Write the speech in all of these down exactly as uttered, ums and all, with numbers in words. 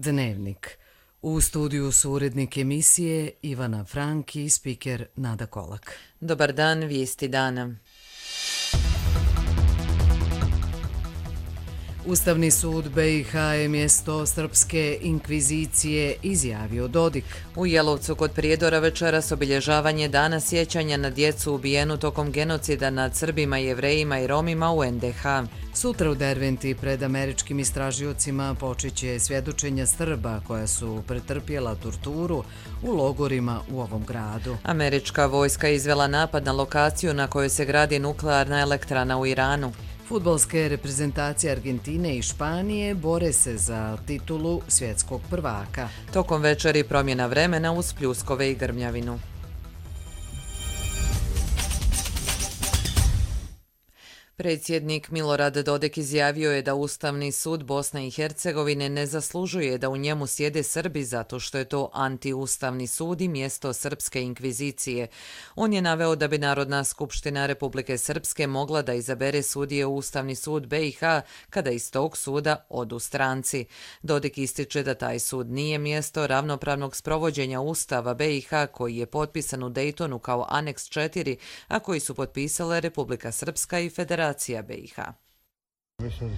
Dnevnik. U studiju su urednik emisije Ivana Frank i spiker Nada Kolak. Dobar dan, vijesti dana. Ustavni sud be i ha je mjesto srpske inkvizicije, izjavio Dodik. U Jelovcu kod Prijedora večeras obilježavanje dana sjećanja na djecu ubijenu tokom genocida nad Srbima, Jevrejima i Romima u en de ha. Sutra u Derventi pred američkim istražiocima počeće svjedočenja Srba koja su pretrpjela torturu u logorima u ovom gradu. Američka vojska izvela napad na lokaciju na kojoj se gradi nuklearna elektrana u Iranu. Fudbalske reprezentacije Argentine i Španije bore se za titulu svjetskog prvaka. Tokom večeri promjena vremena uz pljuskove i grmljavinu. Predsjednik Milorad Dodik izjavio je da Ustavni sud Bosne i Hercegovine ne zaslužuje da u njemu sjede Srbi zato što je to antiustavni sud i mjesto srpske inkvizicije. On je naveo da bi Narodna skupština Republike Srpske mogla da izabere sudije u Ustavni sud be i ha kada iz tog suda odu stranci. Dodik ističe da taj sud nije mjesto ravnopravnog sprovođenja Ustava be i ha koji je potpisan u Dejtonu kao aneks četiri, a koji su potpisale Republika Srpska i Federacija be i ha. Mi smo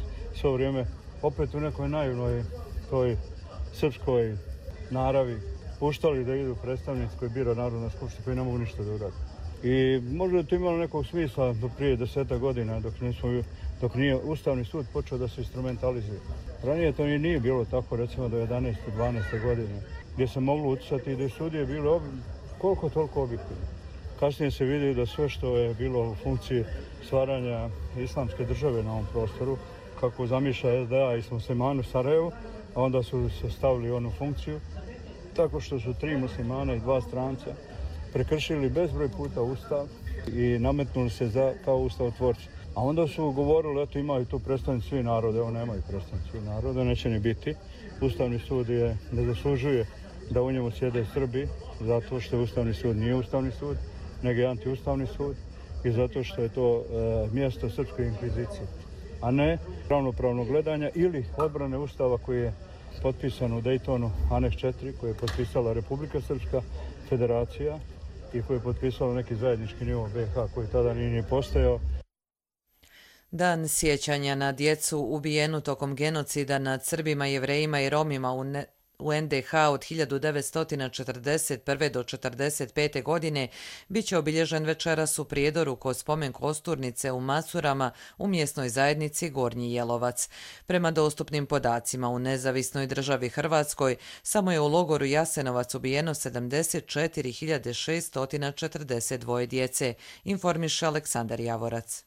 svo vrijeme opet u nekoj naivnoj toj srpskoj naravi puštali da idu predstavnici koji bira Narodna skupština koji ne mogu ništa da urade. I možda je to imalo nekog smisla do prije deseta godina dok, nismo, dok nije Ustavni sud počeo da se instrumentalizuje. Ranije to nije bilo tako, recimo do jedanaeste dvanaeste godine, gdje se moglo utjecati i da je sudije bilo koliko toliko objektivno. Kasnije se vidi da sve što je bilo u funkciji stvaranja islamske države na ovom prostoru, kako zamišlja es de a i muslimani u Sarajevu, a onda su se stavili onu funkciju, tako što su tri muslimana i dva stranca prekršili bezbroj puta Ustav i nametnuli se za, kao ustavotvorci. A onda su govorili, eto imaju tu predstavnici svi narode, evo nemaju predstavnici svi narode, neće ni biti. Ustavni sud je, ne zaslužuje da u njemu sjede Srbi, zato što Ustavni sud nije Ustavni sud, nego je antiustavni sud i zato što je to e, mjesto srpske inkvizicije, a ne ravnopravnog gledanja ili odbrane Ustava koji je potpisan u Dejtonu aneks četiri, koji je potpisala Republika Srpska, Federacija i koji je potpisala neki zajednički nivo be i ha koji tada nije ni postojao. Dan sjećanja na djecu ubijenu tokom genocida nad Srbima, Jevrejima i Romima u ne u en de ha od hiljadu devetsto četrdeset prve do četrdeset pete godine bit će obilježen večeras u Prijedoru kod spomen kosturnice u Macurama u mjesnoj zajednici Gornji Jelovac. Prema dostupnim podacima u nezavisnoj državi Hrvatskoj samo je u logoru Jasenovac ubijeno sedamdeset četiri hiljade šesto četrdeset dva djece, informiše Aleksandar Javorac.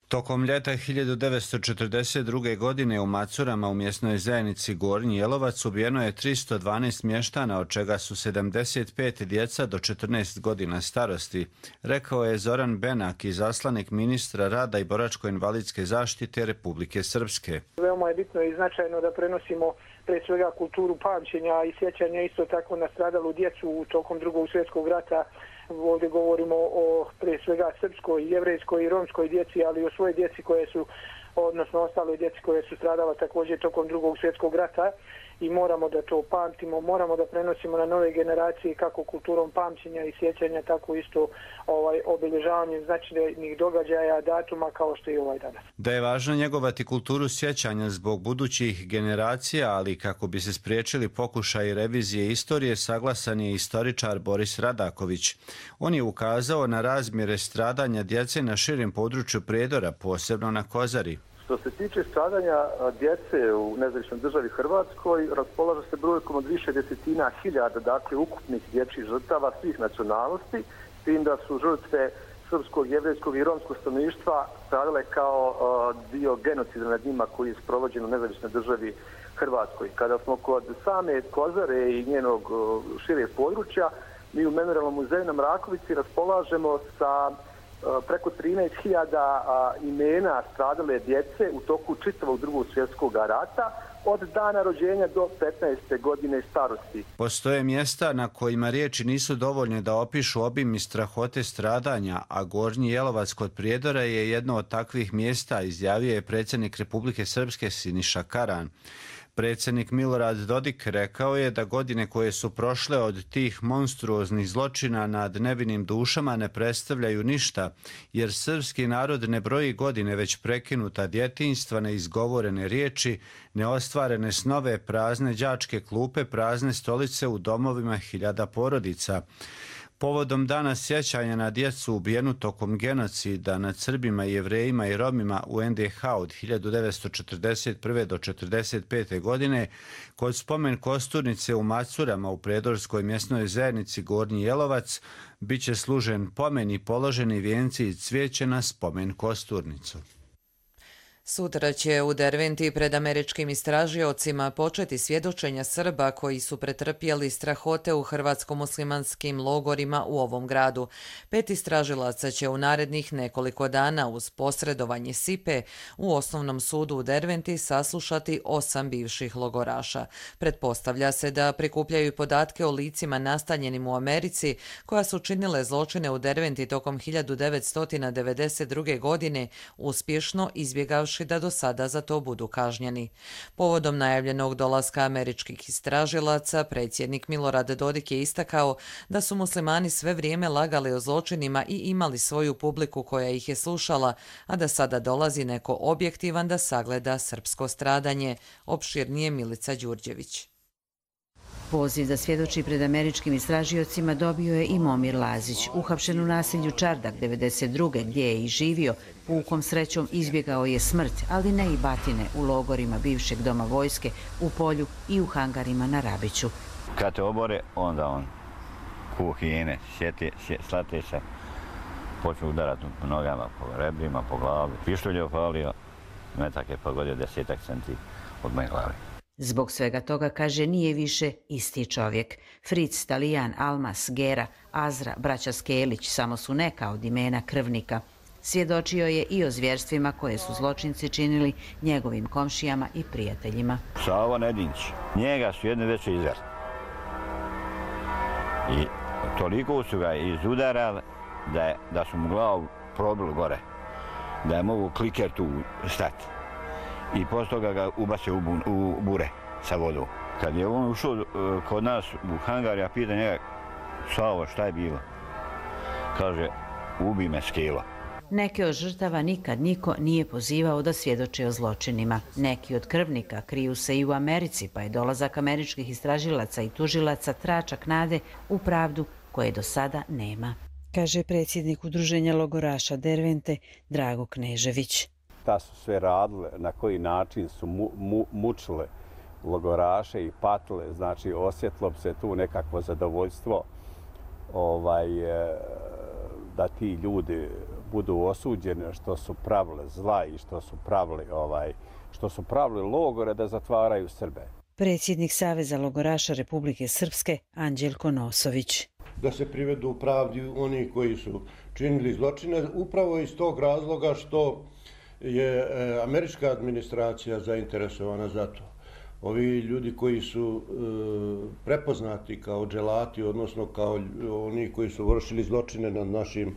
Tokom ljeta hiljadu devetsto četrdeset druge. godine u Macurama u mjesnoj zajednici Gornji Jelovac ubijeno je tristo dvanaest mještana, od čega su sedamdeset pet djeca do četrnaest godina starosti, rekao je Zoran Benak, izaslanik ministra rada i boračko-invalidske zaštite Republike Srpske. Veoma je bitno i značajno da prenosimo pre svega kulturu pamćenja i sjećanja isto tako na stradalu djecu u tokom drugog svjetskog rata. Ovdje govorimo o pre svega srpskoj, jevrejskoj i romskoj djeci, ali i o svojoj djeci koje su, odnosno ostaloj djeci koje su stradala također tokom drugog svjetskog rata i moramo da to pamtimo, moramo da prenosimo na nove generacije kako kulturom pamćenja i sjećanja, tako isto ovaj, obilježavanjem značajnih događaja, datuma kao što je ovaj danas. Da je važno njegovati kulturu sjećanja zbog budućih generacija, ali kako bi se spriječili pokušaj revizije istorije, saglasan je istoričar Boris Radaković. On je ukazao na razmjere stradanja djece na širem području Prijedora, posebno na Kozari. Što se tiče stradanja djece u nezavisnoj državi Hrvatskoj, raspolaže se brojkom od više desetina hiljada, dakle, ukupnih dječjih žrtava svih nacionalnosti, s tim da su žrtve srpskog, jevrejskog i romskog stanovništva stradale kao dio genocida nad njima koji je sprovođen u nezavisnoj državi Hrvatskoj. Kada smo kod same Kozare i njenog šireg područja, mi u Memorijalnom muzeju na Mrakovici raspolažemo sa preko trinaest hiljada imena stradale djece u toku čitavog drugog svjetskog rata od dana rođenja do petnaeste godine starosti. Postoje mjesta na kojima riječi nisu dovoljne da opišu obim i strahote stradanja, a Gornji Jelovac kod Prijedora je jedno od takvih mjesta, izjavio je predsjednik Republike Srpske Siniša Karan. Predsjednik Milorad Dodik rekao je da godine koje su prošle od tih monstruoznih zločina nad nevinim dušama ne predstavljaju ništa, jer srpski narod ne broji godine već prekinuta djetinjstva, neizgovorene riječi, neostvarene snove, prazne đačke klupe, prazne stolice u domovima hiljada porodica. Povodom dana sjećanja na djecu ubijenu tokom genocida nad Srbima, Jevrejima i Romima u en de ha od hiljadu devetsto četrdeset prve do četrdeset pete. godine, kod spomen kosturnice u Macurama u predorskoj mjesnoj zajednici Gornji Jelovac, bit će služen pomen i položeni vijenci i cvijeće na spomen kosturnicu. Sutra će u Derventi pred američkim istražiocima početi svjedočenja Srba koji su pretrpjeli strahote u hrvatsko-muslimanskim logorima u ovom gradu. Pet istražilaca će u narednih nekoliko dana uz posredovanje S I P E u Osnovnom sudu u Derventi saslušati osam bivših logoraša. Pretpostavlja se da prikupljaju podatke o licima nastanjenim u Americi koja su činile zločine u Derventi tokom hiljadu devetsto devedeset druge. godine, uspješno izbjegavši da do sada za to budu kažnjeni. Povodom najavljenog dolaska američkih istražilaca, predsjednik Milorad Dodik je istakao da su muslimani sve vrijeme lagali o zločinima i imali svoju publiku koja ih je slušala, a da sada dolazi neko objektivan da sagleda srpsko stradanje. Opširnije Milica Đurđević. Poziv da svjedoči pred američkim istražiocima dobio je i Momir Lazić, uhapšen u naselju Čardak devedeset druge. gdje je i živio. Pukom srećom izbjegao je smrt, ali ne i batine u logorima bivšeg doma vojske, u Polju i u hangarima na Rabiću. Kad te obore, onda on ku hijene, sjeti, slate se, počne udarati po nogama, po rebrima, po glavi. Pištolj je opalio, metak je pogodio desetak centi od moje glavi. Zbog svega toga, kaže, nije više isti čovjek. Fritz, Talijan, Almas, Gera, Azra, braća Skelić samo su neka od imena krvnika. Svjedočio je i o zvjerstvima koje su zločinci činili njegovim komšijama i prijateljima. Savo Nedinć, njega su jedne veće izver. I toliko su ga izudarali da, je, da su mu glavu probili gore, da je mogu kliker tu stati. I posle toga ga ubacio u, u bure sa vodom. Kad je on ušao uh, kod nas u hangar, ja pitan njega, Savo, šta je bilo? Kaže, ubi me Skelo. Neke od žrtava nikad niko nije pozivao da svjedoče o zločinima. Neki od krvnika kriju se i u Americi, pa je dolazak američkih istražilaca i tužilaca tračak nade u pravdu koje do sada nema, kaže predsjednik Udruženja logoraša Dervente Drago Knežević. Ta su sve radile, na koji način su mu, mu, mučile logoraše i patile, znači osjetilo bi se tu nekakvo zadovoljstvo ovaj, da ti ljudi budu osuđeni što su pravili zla i što su pravili, ovaj, što su pravili logore da zatvaraju Srbe. Predsjednik Saveza logoraša Republike Srpske Anđelko Nosović. Da se privedu u pravdi oni koji su činili zločine, upravo iz tog razloga što je američka administracija zainteresovana za to. Ovi ljudi koji su e, prepoznati kao dželati, odnosno kao oni koji su vršili zločine nad našim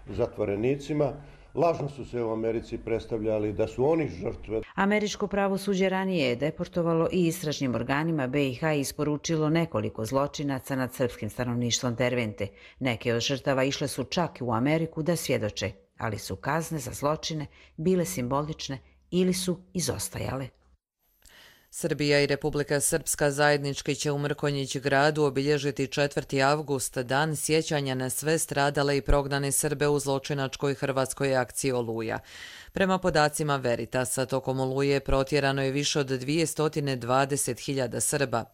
zatvorenicima, lažno su se u Americi predstavljali da su oni žrtve. Američko pravosuđe ranije je deportovalo i istražnim organima be i ha isporučilo nekoliko zločinaca nad srpskim stanovništvom Dervente. Neke od žrtava išle su čak u Ameriku da svjedoče, ali su kazne za zločine bile simbolične ili su izostajale. Srbija i Republika Srpska zajednički će u Mrkonjić gradu obilježiti četvrti avgust, dan sjećanja na sve stradale i prognane Srbe u zločinačkoj hrvatskoj akciji Oluja. Prema podacima Veritasa, tokom Oluje protjerano je više od dvjesto dvadeset hiljada Srba.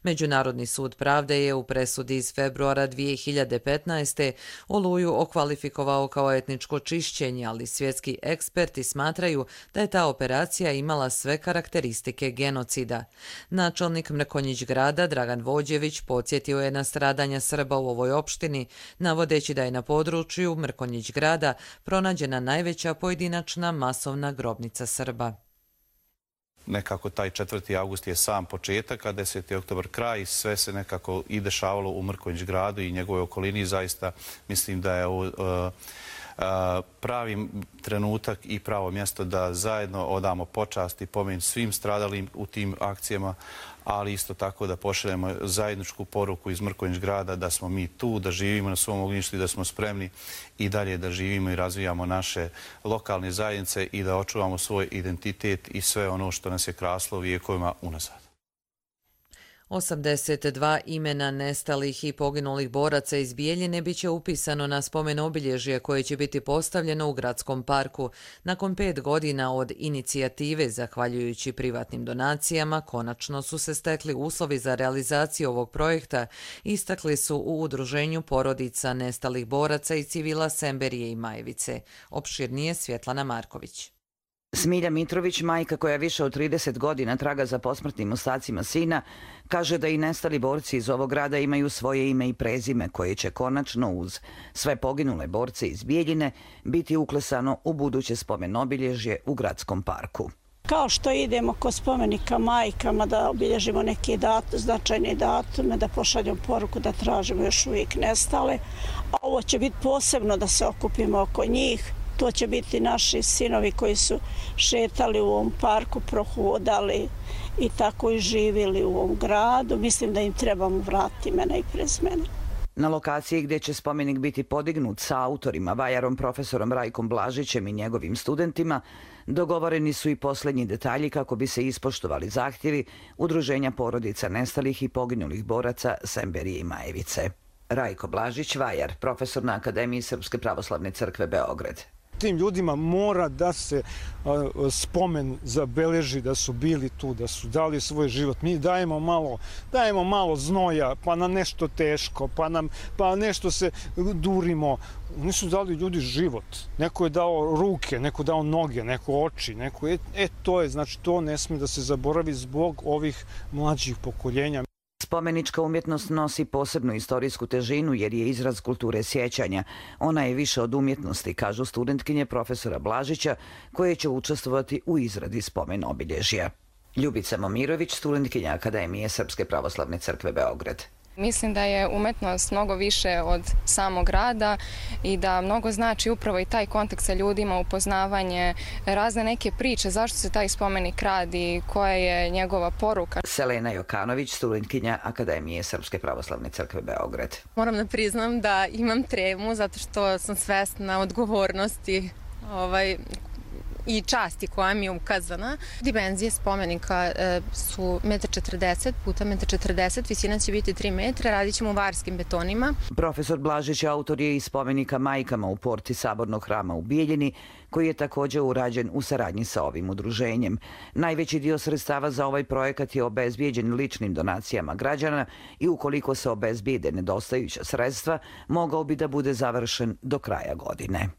Međunarodni sud pravde je u presudi iz februara dvije hiljade petnaeste. Oluju okvalifikovao kao etničko čišćenje, ali svjetski eksperti smatraju da je ta operacija imala sve karakteristike genocida. Načelnik Mrkonjić grada Dragan Vođević podsjetio je na stradanja Srba u ovoj opštini, navodeći da je na području Mrkonjić grada pronađena najveća pojedinačna masovna grobnica Srba. Nekako taj četvrti avgust je sam početak, a deseti oktobar kraj, sve se nekako i dešavalo u Mrkonjić gradu i njegovoj okolini. Zaista mislim da je ovo pravi trenutak i pravo mjesto da zajedno odamo počast i pomen svim stradalim u tim akcijama, ali isto tako da pošaljemo zajedničku poruku iz Mrkonjić grada da smo mi tu, da živimo na svom ognjištu i da smo spremni i dalje da živimo i razvijamo naše lokalne zajednice i da očuvamo svoj identitet i sve ono što nas je kraslo vijekovima unazad. osamdeset dva imena nestalih i poginulih boraca iz Bijeljine bit će upisano na spomen obilježje koje će biti postavljeno u gradskom parku. Nakon pet godina od inicijative, zahvaljujući privatnim donacijama, konačno su se stekli uslovi za realizaciju ovog projekta, istakli su u Udruženju porodica nestalih boraca i civila Semberije i Majevice. Opširnije Svjetlana Marković. Smilja Mitrović, majka koja više od trideset godina traga za posmrtnim ostacima sina, kaže da i nestali borci iz ovog grada imaju svoje ime i prezime koje će konačno uz sve poginule borce iz Bijeljine biti uklesano u buduće spomen obilježje u gradskom parku. Kao što idemo kod spomenika majkama da obilježimo neke dat, značajne datume, da pošaljemo poruku da tražimo još uvijek nestale, a ovo će biti posebno da se okupimo oko njih. To će biti naši sinovi koji su šetali u ovom parku, prohodali i tako i živjeli u ovom gradu. Mislim da im trebamo vratiti imena i prezimena. Na lokaciji gdje će spomenik biti podignut sa autorima, vajarom profesorom Rajkom Blažićem i njegovim studentima, dogovoreni su i posljednji detalji kako bi se ispoštovali zahtjevi Udruženja porodica nestalih i poginulih boraca Semberije i Majevice. Rajko Blažić, vajar, profesor na Akademiji Srpske pravoslavne crkve Beograd. Tim ljudima mora da se spomen zabeleži da su bili tu, da su dali svoj život. Mi dajemo malo, dajemo malo znoja, pa na nešto teško, pa, nam, pa nešto se durimo. Oni su dali ljudi život. Neko je dao ruke, neko je dao noge, neko oči, neko je, e to je, znači to ne smije da se zaboravi zbog ovih mlađih pokoljenja. Spomenička umjetnost nosi posebnu istorijsku težinu jer je izraz kulture sjećanja. Ona je više od umjetnosti, kažu studentkinje profesora Blažića, koje će učestvovati u izradi spomen obilježja. Ljubica Momirović, studentkinja Akademije Srpske pravoslavne crkve Beograd. Mislim da je umetnost mnogo više od samog rada i da mnogo znači upravo i taj kontakt sa ljudima, upoznavanje, razne neke priče, zašto se taj spomenik radi, koja je njegova poruka. Selena Jokanović, studentkinja Akademije Srpske pravoslavne crkve Beograd. Moram da priznam da imam tremu zato što sam svesna odgovornosti ovaj, i časti koja mi je ukazana. Dimenzije spomenika su jedan četrdeset puta jedan četrdeset, visina će biti tri metra, radit ćemo u varskim betonima. Profesor Blažić autor je i spomenika majkama u porti Sabornog hrama u Bijeljini, koji je također urađen u saradnji sa ovim udruženjem. Najveći dio sredstava za ovaj projekat je obezbijeđen ličnim donacijama građana i ukoliko se obezbijede nedostajuća sredstva, mogao bi da bude završen do kraja godine.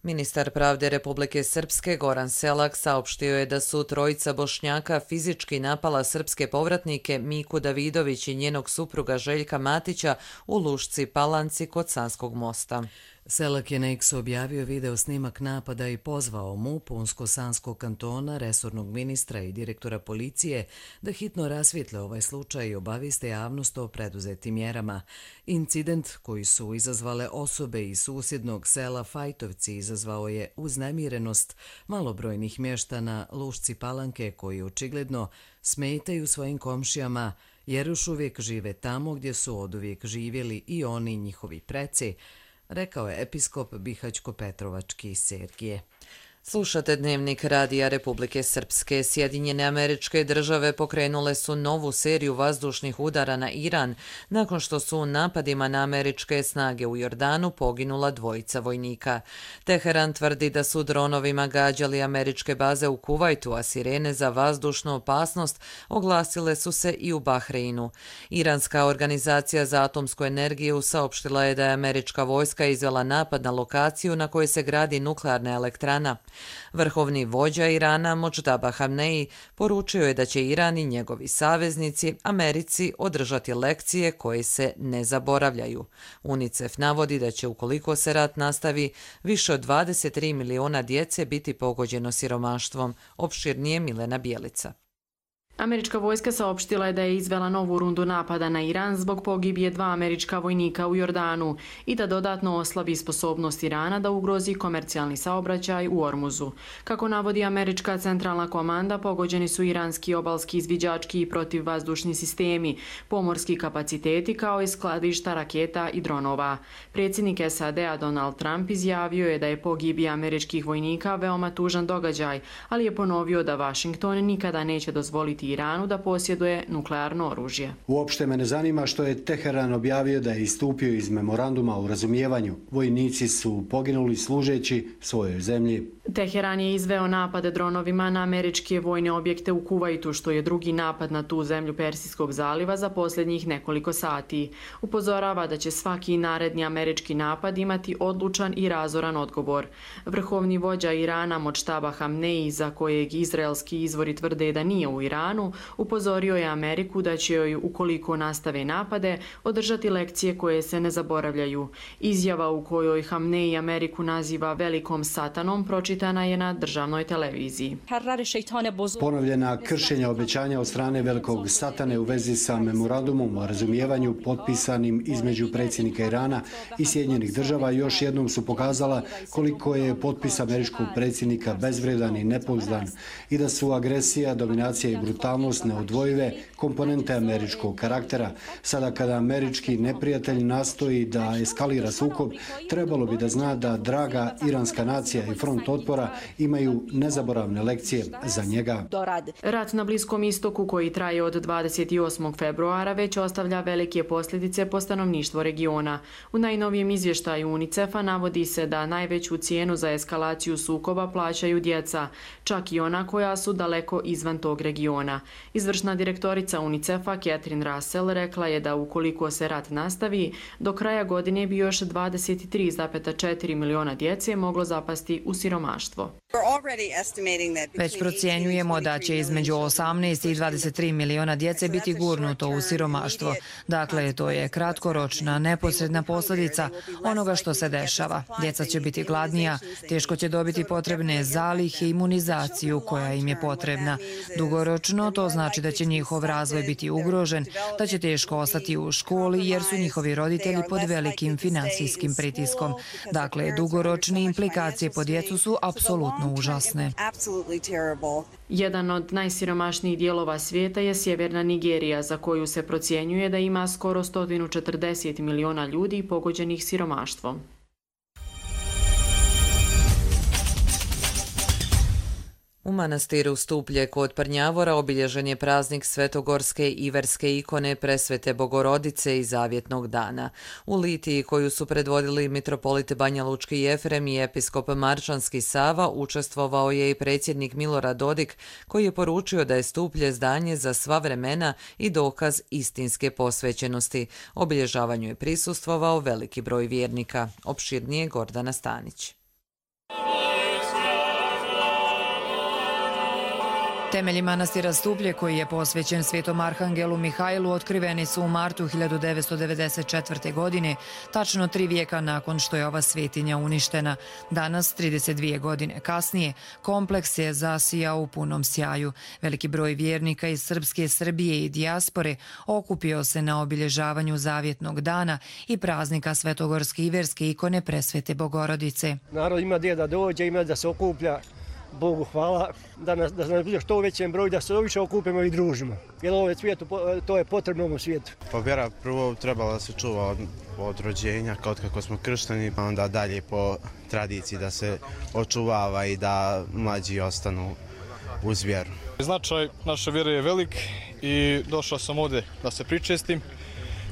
Ministar pravde Republike Srpske Goran Selak saopštio je da su trojica Bošnjaka fizički napala srpske povratnike Miku Davidović i njenog supruga Željka Matića u Lušci Palanci kod Sanskog mosta. Selak je na X objavio video snimak napada i pozvao M U P Unsko-Sanskog kantona, resornog ministra i direktora policije da hitno rasvijetle ovaj slučaj i obaviste javnost o preduzetim mjerama. Incident koji su izazvale osobe iz susjednog sela Fajtovci izazvao je uznemirenost malobrojnih mještana Lušci Palanke koji očigledno smetaju svojim komšijama jer još uvijek žive tamo gdje su oduvijek živjeli i oni i njihovi preci, rekao je episkop Bihaćko-Petrovački Sergije. Slušate Dnevnik Radija Republike Srpske. Sjedinjene Američke Države pokrenule su novu seriju vazdušnih udara na Iran nakon što su u napadima na američke snage u Jordanu poginula dvojica vojnika. Teheran tvrdi da su dronovima gađali američke baze u Kuvajtu, a sirene za vazdušnu opasnost oglasile su se i u Bahreinu. Iranska organizacija za atomsku energiju saopštila je da je američka vojska izvela napad na lokaciju na kojoj se gradi nuklearna elektrana. Vrhovni vođa Irana Modždaba Hamneji poručio je da će Iran i njegovi saveznici Americi održati lekcije koje se ne zaboravljaju. UNICEF navodi da će ukoliko se rat nastavi, više od dvadeset tri miliona djece biti pogođeno siromaštvom. Opširnije Milena Bijelica. Američka vojska saopštila je da je izvela novu rundu napada na Iran zbog pogibije dva američka vojnika u Jordanu i da dodatno oslabi sposobnost Irana da ugrozi komercijalni saobraćaj u Ormuzu. Kako navodi američka centralna komanda, pogođeni su iranski obalski izviđački i protivvazdušni sistemi, pomorski kapaciteti kao i skladišta raketa i dronova. Predsjednik S A D-a Donald Trump izjavio je da je pogibija američkih vojnika veoma tužan događaj, ali je ponovio da Washington nikada neće dozvoliti Iranu da posjeduje nuklearno oružje. Uopšte me ne zanima što je Teheran objavio da je istupio iz memoranduma o razumijevanju. Vojnici su poginuli služeći svojoj zemlji. Teheran je izveo napade dronovima na američke vojne objekte u Kuvajtu, što je drugi napad na tu zemlju Persijskog zaliva za posljednjih nekoliko sati. Upozorava da će svaki naredni američki napad imati odlučan i razoran odgovor. Vrhovni vođa Irana Modžtaba Hamneji, za kojeg izraelski izvori tvrde da nije u Iranu, upozorio je Ameriku da će joj, ukoliko nastave napade, održati lekcije koje se ne zaboravljaju. Izjava u kojoj Hamneji Ameriku naziva velikom satanom pročitana je na državnoj televiziji. Ponovljena kršenja obećanja od strane velikog satane u vezi sa memorandumom o razumijevanju potpisanim između predsjednika Irana i Sjedinjenih država još jednom su pokazala koliko je potpis američkog predsjednika bezvredan i nepouzdan i da su agresija, dominacija i brutalnost neodvojive komponente američkog karaktera. Sada kada američki neprijatelj nastoji da eskalira sukob, trebalo bi da zna da draga iranska nacija i front otpora imaju nezaboravne lekcije za njega. Rat na Bliskom istoku, koji traje od dvadeset osmog februara, već ostavlja velike posljedice po stanovništvo regiona. U najnovijem izvještaju UNICEF-a navodi se da najveću cijenu za eskalaciju sukoba plaćaju djeca, čak i ona koja su daleko izvan tog regiona. Izvršna direktorica UNICEF-a Catherine Russell rekla je da ukoliko se rat nastavi, do kraja godine bi još dvadeset tri zarez četiri miliona djece moglo zapasti u siromaštvo. Već procjenjujemo da će između osamnaest i dvadeset tri miliona djece biti gurnuto u siromaštvo. Dakle, to je kratkoročna, neposredna posljedica onoga što se dešava. Djeca će biti gladnija, teško će dobiti potrebne zalihe i imunizaciju koja im je potrebna. Dugoročno to znači da će njihov razvoj biti ugrožen, da će teško ostati u školi jer su njihovi roditelji pod velikim finansijskim pritiskom. Dakle, dugoročne implikacije po djecu su apsolutno užasne. Jedan od najsiromašnijih dijelova svijeta je sjeverna Nigerija, za koju se procjenjuje da ima skoro sto četrdeset miliona ljudi pogođenih siromaštvom. U manastiru Stuplje kod Prnjavora obilježen je praznik svetogorske i verske ikone Presvete Bogorodice i Zavjetnog dana. U litiji koju su predvodili mitropolit Banja Lučki Jefrem i episkop Marčanski Sava učestvovao je i predsjednik Milorad Dodik, koji je poručio da je Stuplje zdanje za sva vremena i dokaz istinske posvećenosti. Obilježavanju je prisustvovao veliki broj vjernika. Opširnije Gordana Stanić. Temelji manastira Stuplje, koji je posvećen svetom arhangelu Mihajlu, otkriveni su u martu hiljadu devetsto devedeset četvrte. godine, tačno tri vijeka nakon što je ova svetinja uništena. Danas, trideset dvije godine kasnije, kompleks je zasijao u punom sjaju. Veliki broj vjernika iz srpske Srbije i dijaspore okupio se na obilježavanju Zavjetnog dana i praznika svetogorske i verske ikone Presvete Bogorodice. Narod ima gdje da dođe, ima da se okuplja. Bogu hvala, da nas, da nas bude što u većem broju, da se više okupimo i družimo. Jer ovo svijetu, to je potrebno ovom svijetu. Pa vjera prvo trebala da se čuva od, od rođenja, kao kako smo kršteni, pa onda dalje po tradiciji da se očuvava i da mlađi ostanu uz vjeru. Značaj naše vjere je velik i došao sam ovdje da se pričestim.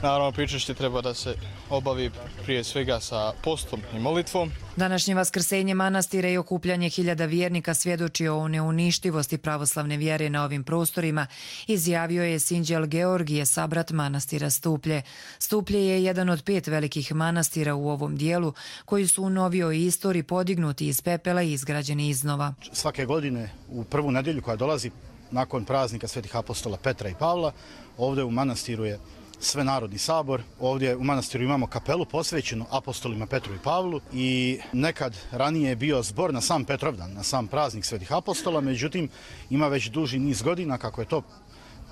Naravno, pričešće treba da se obavi prije svega sa postom i molitvom. Današnje vaskrsenje manastira i okupljanje hiljada vjernika svjedoči o neuništivosti pravoslavne vjere na ovim prostorima, izjavio je sinđel Georgije, sabrat manastira Stuplje. Stuplje je jedan od pet velikih manastira u ovom dijelu koji su u novijoj istoriji podignuti iz pepela i izgrađeni iznova. Svake godine u prvu nedjelju koja dolazi nakon praznika svetih apostola Petra i Pavla, ovdje u manastiru je Svenarodni sabor. Ovdje u manastiru imamo kapelu posvećenu apostolima Petru i Pavlu i nekad ranije je bio zbor na sam Petrovdan, na sam praznik svetih apostola, međutim ima već duži niz godina kako je to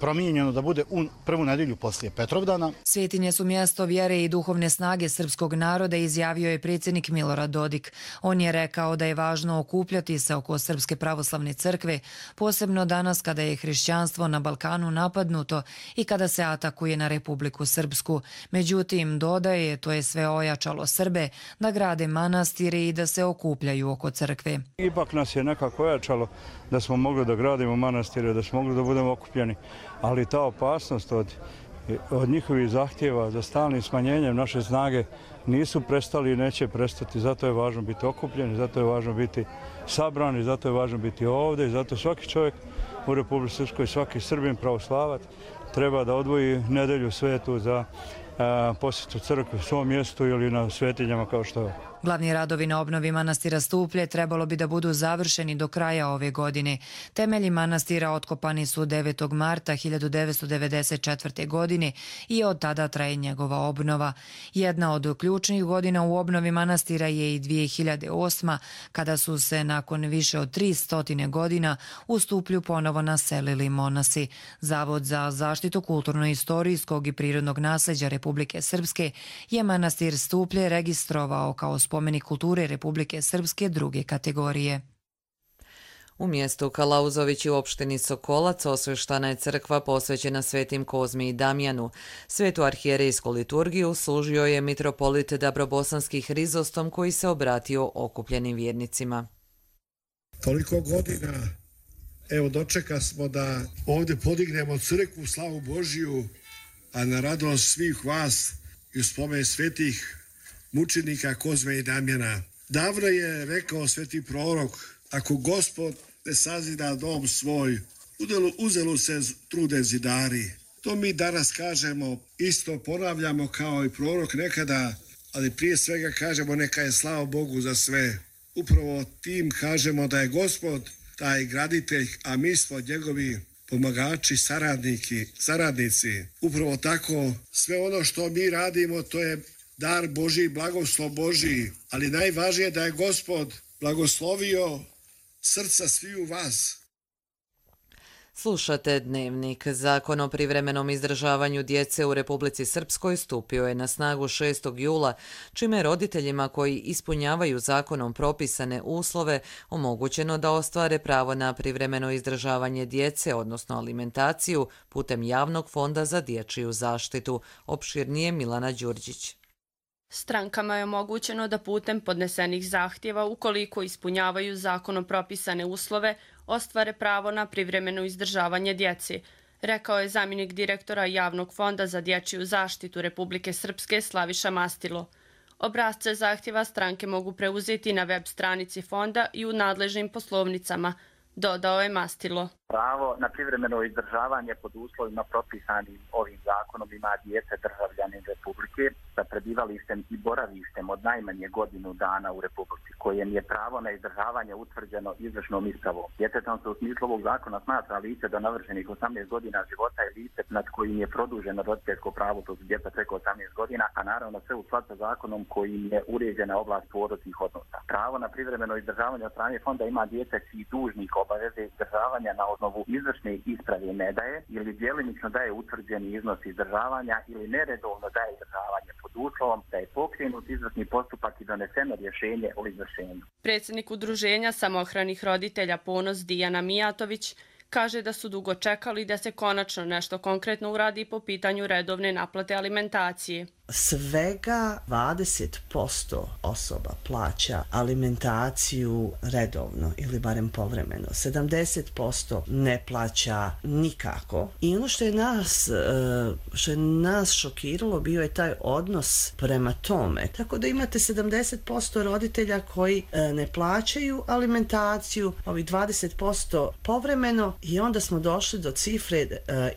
promijenjeno da bude u prvu nedjelju poslije Petrovdana. Svetinje su mjesto vjere i duhovne snage srpskog naroda, izjavio je predsjednik Milorad Dodik. On je rekao da je važno okupljati se oko Srpske pravoslavne crkve, posebno danas kada je hrišćanstvo na Balkanu napadnuto i kada se atakuje na Republiku Srpsku. Međutim, dodaje, to je sve ojačalo Srbe da grade manastire i da se okupljaju oko crkve. Ipak nas je nekako ojačalo da smo mogli da gradimo manastire, da smo mogli da budemo okupljeni, ali ta opasnost od, od njihovih zahtjeva za stalnim smanjenjem naše snage nisu prestali i neće prestati. Zato je važno biti okupljeni, zato je važno biti sabrani, zato je važno biti ovdje i zato svaki čovjek u Republici Srpskoj, svaki Srbin pravoslavac treba da odvoji nedelju svetu za posjetu crkve u svom mjestu ili na svetinjama kao što je. Glavni radovi na obnovi manastira Stuplje trebalo bi da budu završeni do kraja ove godine. Temelji manastira otkopani su devetog marta hiljadu devetsto devedeset četvrte. godine i od tada traje njegova obnova. Jedna od ključnih godina u obnovi manastira je i dvije hiljade osma. kada su se nakon više od tristo godina u Stuplju ponovo naselili monasi. Zavod za zaštitu kulturno-istorijskog i prirodnog nasleđa Republike Srpske je manastir Stuplje registrovao kao spomenik kulture Republike Srpske druge kategorije. U mjestu Kalauzović u opštini Sokolac osveštana je crkva posvećena svetim Kozmi i Damjanu. Svetu arhijerejsku liturgiju služio je mitropolit Dabrobosanski Hrizostom koji se obratio okupljenim vjernicima. Toliko godina, evo dočeka smo da ovdje podignemo crkvu, slavu Božiju, a na radost svih vas i u spomen svetih mučenika Kozme i Damjana. Davno je rekao sveti prorok, ako Gospod ne sazida dom svoj, uzelu se trude zidari. To mi danas kažemo, isto ponavljamo kao i prorok nekada, ali prije svega kažemo neka je slava Bogu za sve. Upravo tim kažemo da je Gospod taj graditelj, a mi smo njegovi pomagači, saradniki, saradnici. Upravo tako, sve ono što mi radimo, to je dar Božji, blagoslov Božji, ali najvažnije je da je Gospod blagoslovio srca sviju vas. Slušate Dnevnik. Zakon o privremenom izdržavanju djece u Republici Srpskoj stupio je na snagu šestog jula, čime roditeljima koji ispunjavaju zakonom propisane uslove omogućeno da ostvare pravo na privremeno izdržavanje djece, odnosno alimentaciju, putem Javnog fonda za dječju zaštitu. Opširnije Milana Đurđić. Strankama je omogućeno da putem podnesenih zahtjeva, ukoliko ispunjavaju zakonom propisane uslove, ostvare pravo na privremeno izdržavanje djeci, rekao je zamjenik direktora Javnog fonda za dječju zaštitu Republike Srpske Slaviša Mastilo. Obrasce zahtjeva stranke mogu preuzeti na web stranici fonda i u nadležnim poslovnicama, dodao je Mastilo. Pravo na privremeno izdržavanje pod uslovima propisanim ovim zakonom ima djece državljanin Republike sa prebivalištem i boravištem od najmanje godinu dana u Republici, kojem je pravo na izdržavanje utvrđeno izvršnom ispravom. Djetetom se u smislu ovog zakona smatra lice do navršenih osamnaest godina života i lice nad kojim je produženo roditeljsko pravo, to su djeca preko osamnaest godina, a naravno sve u skladu sa zakonom kojim je uređena oblast porodičnih odnosa. Pravo na privremeno izdržavanje od strane fonda ima djece čiji dužnik obaveze izdržavanja na osnovu izvršne isprave ne daje ili djelimično daje utvrđeni iznos izdržavanja ili neredovno daje izdržavanje pod uslovom da je pokrenut izvršni postupak i doneseno rješenje o izvršenju. Predsjednik udruženja samohranih roditelja Ponos Dijana Mijatović kaže da su dugo čekali da se konačno nešto konkretno uradi po pitanju redovne naplate alimentacije. Svega dvadeset posto osoba plaća alimentaciju redovno ili barem povremeno. sedamdeset posto ne plaća nikako. I ono što je nas, što je nas šokiralo bio je taj odnos prema tome. Tako da imate sedamdeset posto roditelja koji ne plaćaju alimentaciju, ovih dvadeset posto povremeno i onda smo došli do cifre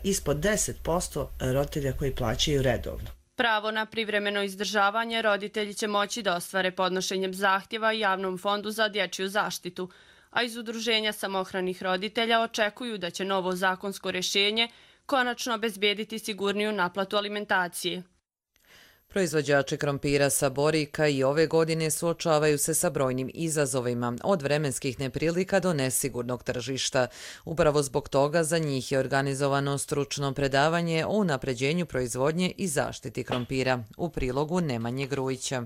ispod deset posto roditelja koji plaćaju redovno. Pravo na privremeno izdržavanje roditelji će moći da ostvare podnošenjem zahtjeva Javnom fondu za dječju zaštitu, a iz udruženja samohranih roditelja očekuju da će novo zakonsko rješenje konačno obezbijediti sigurniju naplatu alimentacije. Proizvođači krompira sa Borika i ove godine suočavaju se sa brojnim izazovima, od vremenskih neprilika do nesigurnog tržišta. Upravo zbog toga za njih je organizovano stručno predavanje o unapređenju proizvodnje i zaštiti krompira. U prilogu Nemanje Grujića.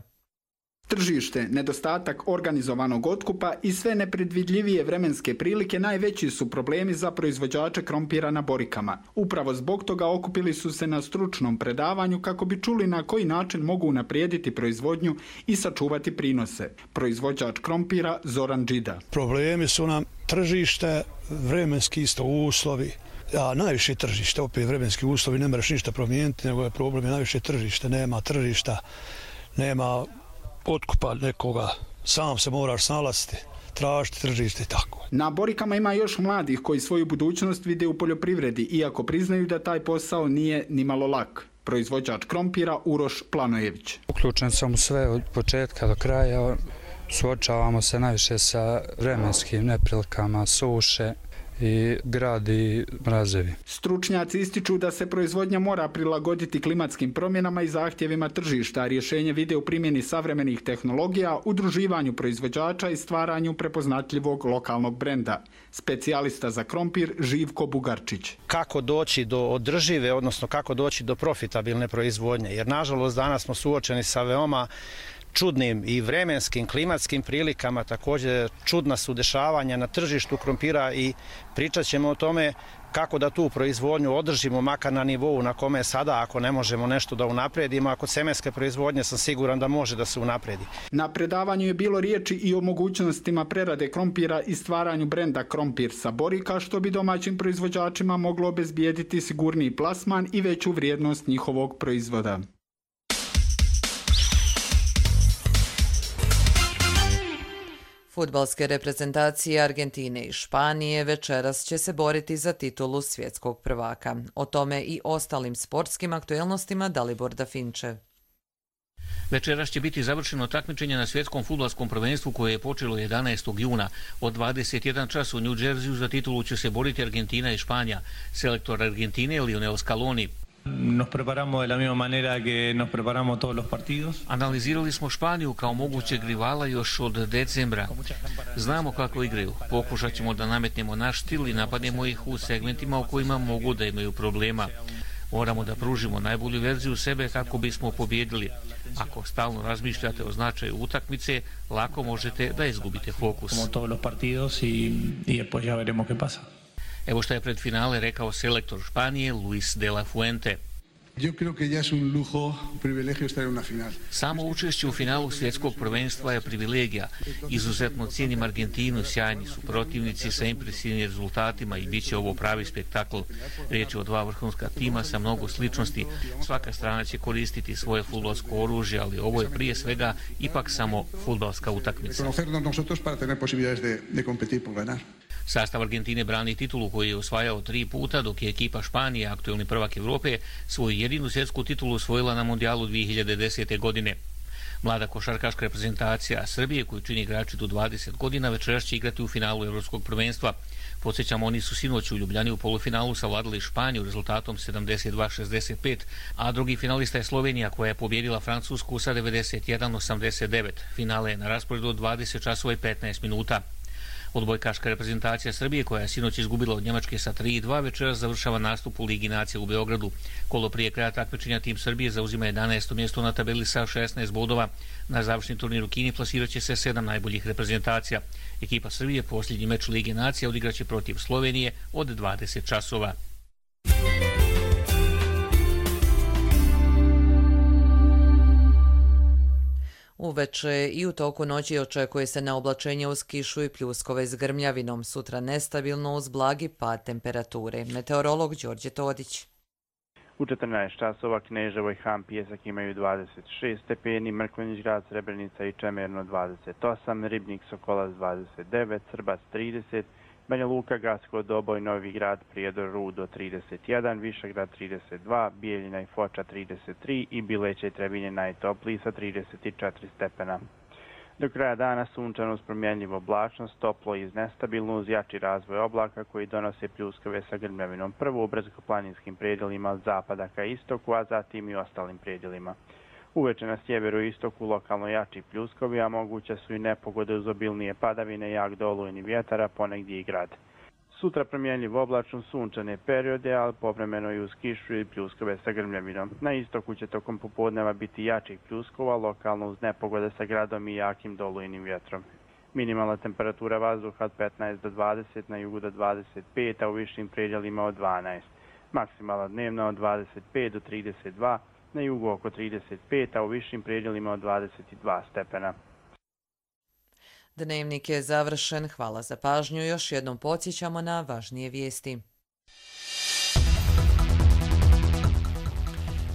Tržište, nedostatak organizovanog otkupa i sve nepredvidljivije vremenske prilike najveći su problemi za proizvođače krompira na Borikama. Upravo zbog toga okupili su se na stručnom predavanju kako bi čuli na koji način mogu unaprijediti proizvodnju i sačuvati prinose. Proizvođač krompira Zoran Džida. Problemi su nam tržište, vremenski isto uslovi. A najviše tržište, opet vremenski uslovi, ne moraš ništa promijeniti, nego je problem je najviše tržište, nema tržišta, nema otkupa nekoga, sam se moraš snalaziti, tražiti tržište i tako. Na Borikama ima još mladih koji svoju budućnost vide u poljoprivredi, iako priznaju da taj posao nije nimalo lak. Proizvođač krompira Uroš Planojević. Uključen sam u sve od početka do kraja, suočavamo se najviše sa vremenskim neprilikama, suše i grad i mrazevi. Stručnjaci ističu da se proizvodnja mora prilagoditi klimatskim promjenama i zahtjevima tržišta, a rješenje vide u primjeni savremenih tehnologija, udruživanju proizvođača i stvaranju prepoznatljivog lokalnog brenda. Specijalista za krompir Živko Bugarčić. Kako doći do održive, odnosno kako doći do profitabilne proizvodnje, jer nažalost danas smo suočeni sa veoma čudnim i vremenskim, klimatskim prilikama, također čudna su dešavanja na tržištu krompira i pričat ćemo o tome kako da tu proizvodnju održimo makar na nivou na kome je sada, ako ne možemo nešto da unapredimo, ako semenske proizvodnje sam siguran da može da se unapredi. Na predavanju je bilo riječi i o mogućnostima prerade krompira i stvaranju brenda Krompir sa Borika, što bi domaćim proizvođačima moglo obezbijediti sigurniji plasman i veću vrijednost njihovog proizvoda. Fudbalske reprezentacije Argentine i Španije večeras će se boriti za titulu svjetskog prvaka. O tome i ostalim sportskim aktuelnostima Dalibor Dafinče. Večeras će biti završeno takmičenje na svjetskom fudbalskom prvenstvu koje je počelo jedanaestog juna. Od dvadeset jedan čas u New Jerseyu za titulu će se boriti Argentina i Španija. Selektor Argentine Lionel Scaloni. Nos preparamos de la misma manera que nos preparamos todos los partidos. Analizirali smo Španiju kao mogućeg rivala još od decembra. Znamo kako igraju. Pokušat ćemo da nametnemo naš stil i napadnemo ih u segmentima u kojima mogu da imaju problema. Moramo da pružimo najbolju verziju sebe kako bismo pobjedili. Ako stalno razmišljate o značaju utakmice, lako možete da izgubite fokus. Como todos los partidos y y después ya veremos qué pasa. Evo što je pred finale rekao selektor Španije Luis de la Fuente. Yo creo que ya es un lujo, un privilegio estar en una final. Samo učešće u finalu svjetskog prvenstva je privilegija. Izuzetno cijenim Argentinu, sjajni su protivnici sa impresivnim rezultatima i bit će ovo pravi spektakl. Riječ je o dva vrhunska tima sa mnogo sličnosti. Svaka strana će koristiti svoje fudbalsko oružje, ali ovo je prije svega ipak samo fudbalska utakmica. Conocernos nosotros para tener posibilidades de, de competir por ganar. Sastav Argentine brani titulu koju je osvajao tri puta, dok je ekipa Španije, aktuelni prvak Evrope, svoju jedinu svjetsku titulu osvojila na Mundijalu dvije hiljade desete. godine. Mlada košarkaška reprezentacija Srbije, koju čini igrači do dvadeset godina, večeras će igrati u finalu Evropskog prvenstva. Podsjećamo, oni su sinoć u Ljubljani u polufinalu savladali Španiju rezultatom sedamdeset dva šezdeset pet, a drugi finalista je Slovenija koja je pobjedila Francusku sa devedeset jedan osamdeset devet. Finale je na rasporedu od dvadeset časova i petnaest minuta. Odbojkaška reprezentacija Srbije, koja je sinoć izgubila od Njemačke sa tri dva, večeras završava nastup u Ligi nacija u Beogradu. Kolo prije kraja takmičenja tim Srbije zauzima jedanaesto mjesto na tabeli sa šesnaest bodova. Na završni turnir u Kini plasirat će se sedam najboljih reprezentacija. Ekipa Srbije posljednji meč Lige nacija odigraće protiv Slovenije od dvadeset časova. Uveče i u toku noći očekuje se na oblačenje uz kišu i pljuskove s grmljavinom. Sutra nestabilno uz blagi pad temperature. Meteorolog Đorđe Todić. U četrnaest časova Kneževo i Han Pijesak imaju dvadeset šest stepeni, Mrkonjić Grad, Srebrenica i Čemerno dvadeset osam, Ribnik Sokolac dvadeset devet, Srbac trideset, Banja Luka, Gacko, Doboj, Novi Grad, Prijedor, Rudo trideset jedan, Višegrad trideset dva, Bijeljina i Foča trideset tri i Bileće i Trebinje najtopliji sa trideset četiri stepena. Do kraja dana sunčano uz promjenljivu oblačnost, toplo i nestabilno uz jači razvoj oblaka koji donose pljuskave sa grmljavinom, prvo u brdsko-planinskim predjelima od zapada ka istoku, a zatim i ostalim predjelima. Uveče na sjeveru i istoku lokalno jači pljuskovi, a moguće su i nepogode uz obilnije padavine, jak dolujni vjetar, a ponegdje i grad. Sutra promjenljiv oblačno sunčane periode, ali povremeno i uz kišu i pljuskove sa grmljavinom. Na istoku će tokom popodneva biti jačih pljuskova, lokalno uz nepogode sa gradom i jakim dolujnim vjetrom. Minimalna temperatura vazduha od petnaest do dvadeset, na jugu do dvadeset pet, a u višim predjelima od dvanaest. Maksimalna dnevna od dvadeset pet do trideset dva, na jugu oko trideset pet, a u višim predjelima od dvadeset dva stepena. Dnevnik je završen. Hvala za pažnju. Još jednom podsjećamo na važnije vijesti.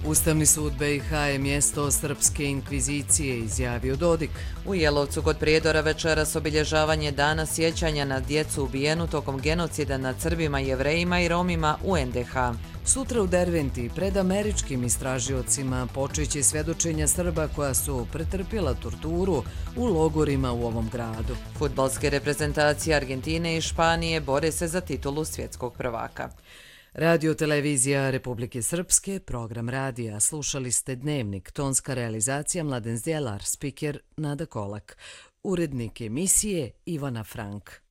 Ustavni sud be i ha je mjesto srpske inkvizicije, izjavio Dodik. U Jelovcu kod Prijedora večeras obilježavanje dana sjećanja na djecu ubijenu tokom genocida nad Srbima, Jevrejima i Romima u en de ha. Sutra u Derventi pred američkim istražiocima počeće svjedočenja Srba koja su pretrpjela torturu u logorima u ovom gradu. Fudbalske reprezentacije Argentine i Španije bore se za titulu svjetskog prvaka. Radio televizija Republike Srpske, program radija. Slušali ste Dnevnik, tonska realizacija Mladen Zdjelar, spiker Nada Kolak, urednik emisije Ivana Frank.